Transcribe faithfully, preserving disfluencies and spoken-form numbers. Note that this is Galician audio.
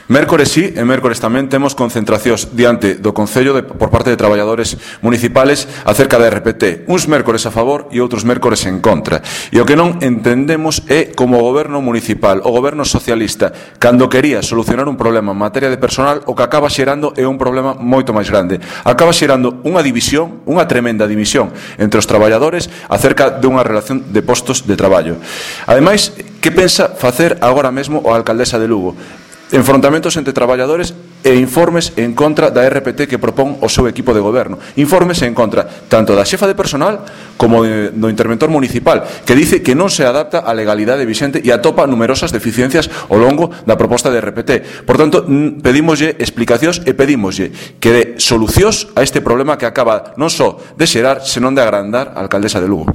Mércores sí, e mércores tamén temos concentracións diante do Concello de, por parte de traballadores municipales acerca da R P T. Uns mércores a favor e outros mércores en contra. E o que non entendemos é como o goberno municipal, o goberno socialista, cando quería solucionar un problema en materia de personal, o que acaba xerando é un problema moito máis grande. Acaba xerando unha división, unha tremenda división entre os traballadores acerca dunha relación de postos de traballo. Ademais, que pensa facer agora mesmo a alcaldesa de Lugo? Enfrontamentos entre traballadores e informes en contra da R P T que propón o seu equipo de goberno. Informes en contra tanto da xefa de personal como de, do interventor municipal, que dice que non se adapta á legalidade vixente e atopa numerosas deficiencias ao longo da proposta de R P T. Por tanto, pedímoslle explicacións e pedímoslle que dé solucións a este problema que acaba non só de xerar, senón de agrandar a alcaldesa de Lugo.